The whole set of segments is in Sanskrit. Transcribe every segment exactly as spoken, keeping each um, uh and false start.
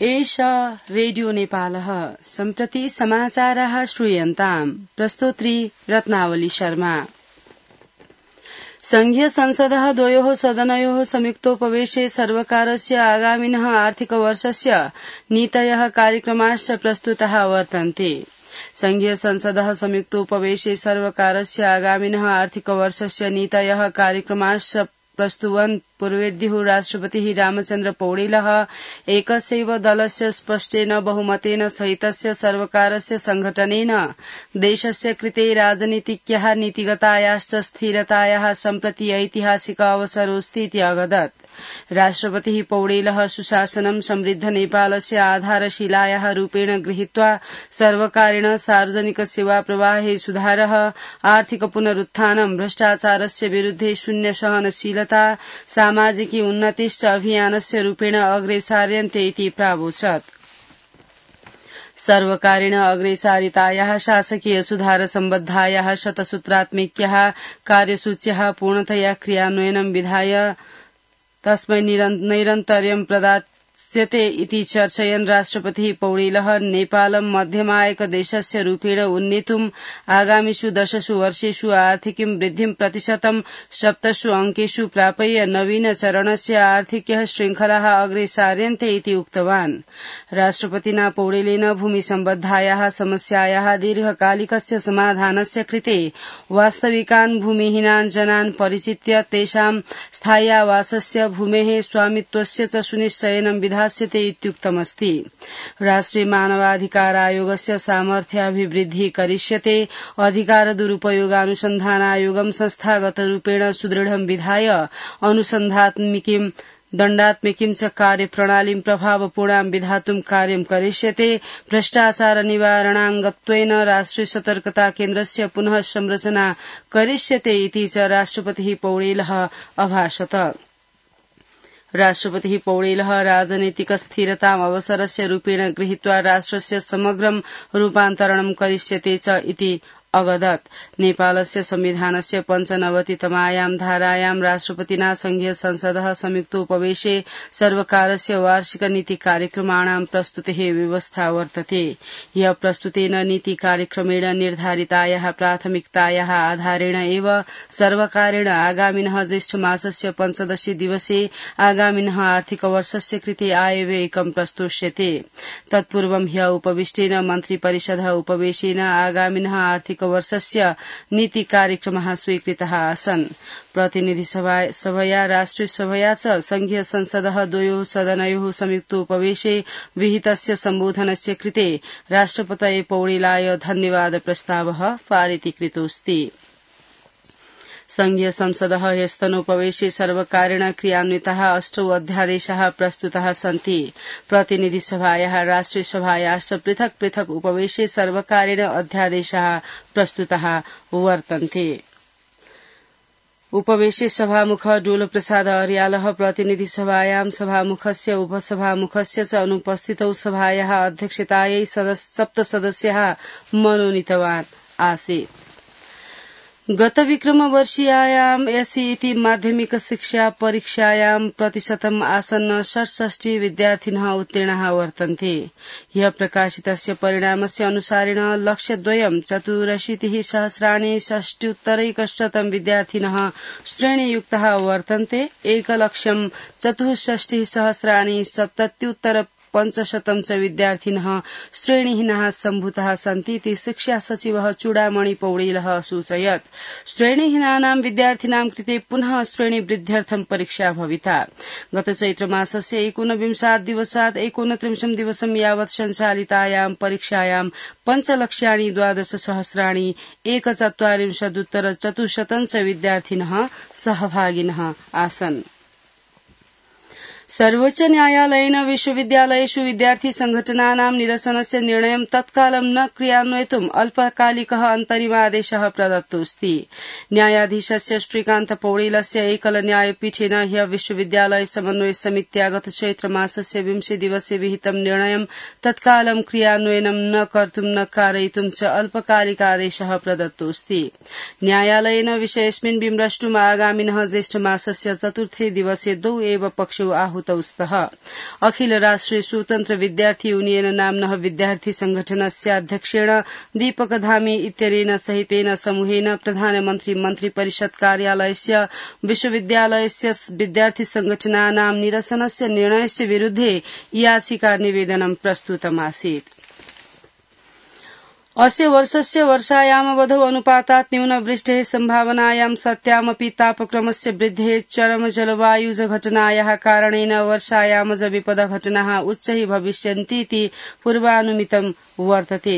एष रेडियो नेपालः सम्प्रति समाचाराः श्रूयन्ताम् प्रस्तोत्री रत्नावली शर्मा। संघीय संसदः द्वयोः सदनयोः संयुक्तोपवेशे सर्वकारस्य आगामिनः आर्थिकवर्षस्य नीतयः कार्यक्रमाश्च प्रस्तुताः वर्तन्ते। संघीय संसदः संयुक्तोपवेशे सर्वकारस्य आगामिनः आर्थिकवर्षस्य नीतयः कार्यक्रमाश्च प्रस्तुवन् पूर्वेद्युः राष्ट्रपतिः रामचन्द्र पौडेलः एकस्यैव दलस्य स्पष्टेन बहुमतेन सहितस्य सर्वकारस्य संघटनेन देशस्य कृते राजनीतिक्याः नीतिगतायाश्च स्थिरतायाः सम्प्रति ऐतिहासिक अवसरोऽस्ति इति अवदत्। राष्ट्रपतिः पौडेलः सुशासनं समृद्ध नेपालस्य आधारशिलायाः रूपेण गृहीत्वा सर्वकारेण सार्वजनिक सेवा प्रवाहे सुधारः, आर्थिक पुनरुत्थानं, भ्रष्टाचारस्य विरुद्धे शून्य सहनशीलता, सामाजिकी उन्नतिश्च अभियानस्य रूपेण अग्रेसार्यन्ते इति प्रावोचत्। सर्वकारेण अग्रेसारितायाः शासकीय सुधार सम्बद्धायाः शतसूत्रात्मिक्याः कार्यसूच्याः पूर्णतया क्रियान्वयनं विधाय तस्मै नैरन्तर्यं प्रदास्यते इति चर्चयन् राष्ट्रपतिः पौडेलः नेपालं मध्यमायक देशस्य रूपेण उन्नेतुम् आगामिषु दशसु वर्षेषु आर्थिकीं वृद्धिं प्रतिशतं सप्तसु अंकेषु प्रापय्य नवीन चरणस्य आर्थिक्यः श्रृंखलाः अग्रेसार्यन्ते इति उक्तवान्। राष्ट्रपतिना पौडेलेन भूमि सम्बद्धायाः समस्यायाः दीर्घकालिकस्य समाधानस्य कृते वास्तविकान् भूमिहीनान् जनान् परिचित्य तेषां स्थाय्यावासस्य भूमेः स्वामित्वस्य च सुनिश्चयनं विधास्यते इत्युक्तमस्ति। राष्ट्रिय मानवाधिकार आयोगस्य सामर्थ्याभिवृद्धिः करिष्यते, अधिकार दुरुपयोगानुसन्धानायोगं संस्थागतरूपेण सुदृढं विधाय अनुसन्धात्मिकीं दण्डात्मिकीं च कार्यप्रणालीं प्रभावपूर्णां विधातुं कार्यं करिष्यते, भ्रष्टाचार निवारणाङ्गत्वेन राष्ट्रिय सतर्कता केन्द्रस्य पुनः संरचना करिष्यते इति च राष्ट्रपतिः पौडेलः अभाषत। राष्ट्रपतिः पौडेलः राजनैतिक स्थिरताम् अवसरस्य रूपेण गृहीत्वा राष्ट्रस्य समग्रं रूपान्तरणं करिष्यते च इति अवदत्। नेपालस्य संविधानस्य पञ्चनवतितमायां धारायां राष्ट्रपतिना संघीय संसदः संयुक्तोपवेशे सर्वकारस्य वार्षिक नीति कार्यक्रमाणां प्रस्तुतेः व्यवस्था वर्तते। ह्य प्रस्तुतेन नीति कार्यक्रमेण निर्धारितायाः प्राथमिकतायाः आधारेण एव सर्वकारेण आगामिनः ज्येष्ठ मासस्य पञ्चदशी दिवसे आगामिनः आर्थिक वर्षस्य कृते आयव्ययकं प्रस्तोष्यते। तत्पूर्वं ह्य उपविष्टेन मन्त्रिपरिषदः उपवेशेन आगामिनः आर्थिक वर्षस्य नीति कार्यक्रमः स्वीकृतः आसन्। प्रतिनिधि सभया राष्ट्रिय सभया च संघीय संसदः द्वयोः सदनयोः संयुक्तोपवेशे विहितस्य सम्बोधनस्य कृते राष्ट्रपतये पौडेलाय धन्यवाद प्रस्तावः पारितीकृतोऽस्ति। संघीय संसदः ह्यस्तनोपवेशे सर्वकारेण क्रियान्विताः अष्टौ अध्यादेशाः प्रस्तुताः सन्ति। प्रतिनिधि सभायाः राष्ट्रिय सभायाश्च पृथक् पृथक् उपवेशे सर्वकारेण अध्यादेशाः प्रस्तुताः वर्तन्ते। उपवेशे सभामुख डोलप्रसाद अर्यालः प्रतिनिधि सभायां सभामुखस्य उपसभामुखस्य च अनुपस्थितौ सभायाः अध्यक्षतायै सप्तसदस्याः मनोनीतवान् आसीत्। गत विक्रमवर्षीयायाम् एसईटी माध्यमिक शिक्षा परीक्षायां प्रतिशतम् आसन्न षट्षष्टि विद्यार्थिनः उत्तीर्णाः वर्तन्ते। ह्य प्रकाशितस्य परिणामस्य अनुसारेण लक्ष्यद्वयं चतुरशीतिः सहस्राणि षष्ट्युत्तरैकशतं विद्यार्थिनः श्रेणीयुक्ताः वर्तन्ते। एकलक्ष्यं चतुष्षष्टिः सहस्राणि सप्तत्युत्तर पञ्चशतं च विद्यार्थिनः श्रेणीहीनाः सम्भूताः सन्ति इति शिक्षा सचिवः चूडामणि पौडेलः असूचयत्। श्रेणीहीनानां विद्यार्थिनां कृते पुनः श्रेणीवृद्ध्यर्थं परीक्षा भविता। गत चैत्रमासस्य एकोनविंशात् दिवसात् एकोनत्रिंशत् दिवसं यावत् सञ्चालितायां परीक्षायां पञ्चलक्ष्याणि द्वादश सहस्राणि एकचत्वारिंशदुत्तर चतुश्शतं च विद्यार्थिनः सहभागिनः आसन्। सर्वोच्च न्यायालयेन विश्वविद्यालयेषु विद्यार्थी संघटनानां निरसनस्य निर्णयं तत्कालं न क्रियान्वयितुम् अल्पकालिकः अन्तरिमादेशः प्रदत्तोऽस्ति। न्यायाधीशस्य श्रीकान्त पौडेलस्य एकल न्यायपीठेन ह्य विश्वविद्यालय समन्वय समित्या गत चैत्रमासस्य विंशे दिवसे विहितं निर्णयं तत्कालं क्रियान्वयनं न कर्तुं न कारयितुं च अल्पकालिकादेशः प्रदत्तोऽस्ति। न्यायालयेन विषयेऽस्मिन् विमृष्टुम् आगामिनः ज्येष्ठमासस्य चतुर्थे दिवसे द्वौ एव पक्षौ आहूताः आहूतौ स्तः। अखिल राष्ट्रिय स्वतन्त्र विद्यार्थी यूनियन नाम्नः विद्यार्थी संघटनस्य अध्यक्षेण दीपक धामी इत्यनेन सहितेन समूहेन प्रधानमन्त्री मन्त्री परिषद कार्यालयस्य विश्वविद्यालयस्य विद्यार्थी संघटनानां निरसनस्य निर्णयस्य विरुद्धे याचिका निवेदनं प्रस्तुतमासीत्। अस्य वर्षस्य वर्षायामवधौ अनुपातात् न्यूनवृष्टेः सम्भावनायां सत्यामपि तापक्रमस्य वृद्धेः चरम जलवायुज घटनायाः कारणेन वर्षायामज विपदघटनाः उच्चैः भविष्यन्तीति पूर्वानुमितं वर्तते।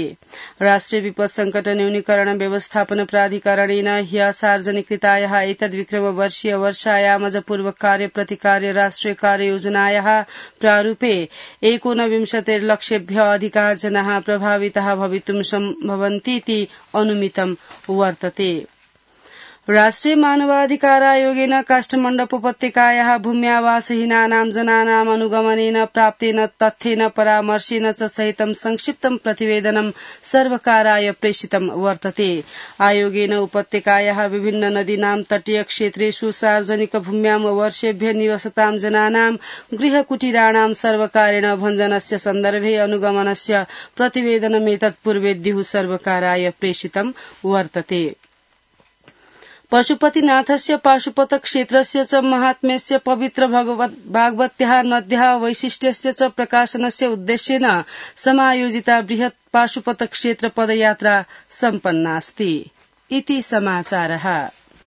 राष्ट्रिय विपद संकट न्यूनीकरण व्यवस्थापन प्राधिकरणेन ह्यः सार्वजनिकृतायाः एतद्विक्रमवर्षीय वर्षायामज पूर्व कार्य प्रतिकार्य राष्ट्रिय कार्ययोजनायाः प्रारूपे एकोनविंशतिर्लक्षेभ्यः अधिकाः जनाः प्रभाविताः भवितुं भवन्तीति अनुमितं वर्तते। राष्ट्रिय मानवाधिकार आयोगेन काष्ठमण्डपोपत्यकायाः भूम्यावासहीनानां जनानाम् अनुगमनेन प्राप्तेन तथ्येन परामर्शेन च सहितं संक्षिप्तं प्रतिवेदनं सर्वकाराय प्रेषितं वर्तते। आयोगेन उपत्यकायाः विभिन्न नदीनां तटीय क्षेत्रेषु सार्वजनिक भूम्यां वर्षेभ्यः निवसतां जनानां गृहकुटीराणां सर्वकारेण भञ्जनस्य सन्दर्भे अनुगमनस्य प्रतिवेदनमेतत् पूर्वेद्युः सर्वकाराय प्रेषितं वर्तते। पशुपतिनाथस्य पाशुपत क्षेत्रस्य च महात्म्यस्य पवित्र भागवत्याः नद्याः वैशिष्ट्यस्य च प्रकाशनस्य उद्देश्येन समायोजिता बृहत् पाशुपत क्षेत्र पदयात्रा सम्पन्नास्ति। इति समाचारः।